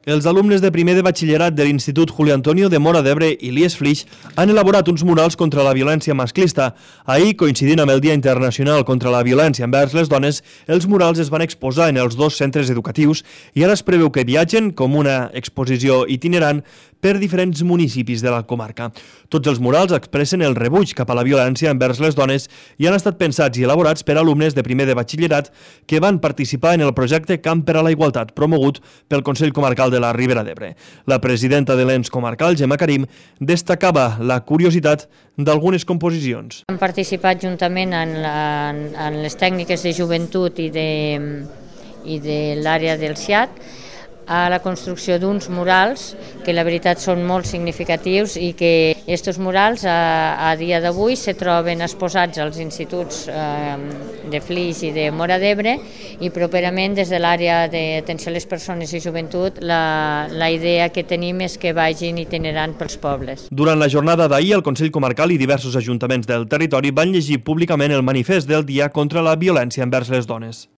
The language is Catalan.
Els alumnes de primer de batxillerat de l'Institut Julio Antonio de Móra d'Ebre i l'IES Flix han elaborat uns murals contra la violència masclista. Ahir, coincidint amb el Dia Internacional contra la Violència envers les Dones, els murals es van exposar en els dos centres educatius i ara es preveu que viatgen com una exposició itinerant per diferents municipis de la comarca. Tots els murals expressen el rebuig cap a la violència envers les dones i han estat pensats i elaborats per alumnes de primer de batxillerat que van participar en el projecte Camp per a la Igualtat, promogut pel Consell Comarcal de la Ribera d'Ebre. La presidenta de l'ENS comarcal, Gemma Karim, destacava la curiositat d'algunes composicions. Hem participat juntament en les tècniques de joventut i de l'àrea del SIAT a la construcció d'uns murals que la veritat són molt significatius i que aquests murals a dia d'avui se troben exposats als instituts de Flix i de Móra d'Ebre i properament des de l'àrea d'atenció a les persones i joventut la idea que tenim és que vagin itinerant pels pobles. Durant la jornada d'ahir, el Consell Comarcal i diversos ajuntaments del territori van llegir públicament el manifest del Dia contra la Violència envers les Dones.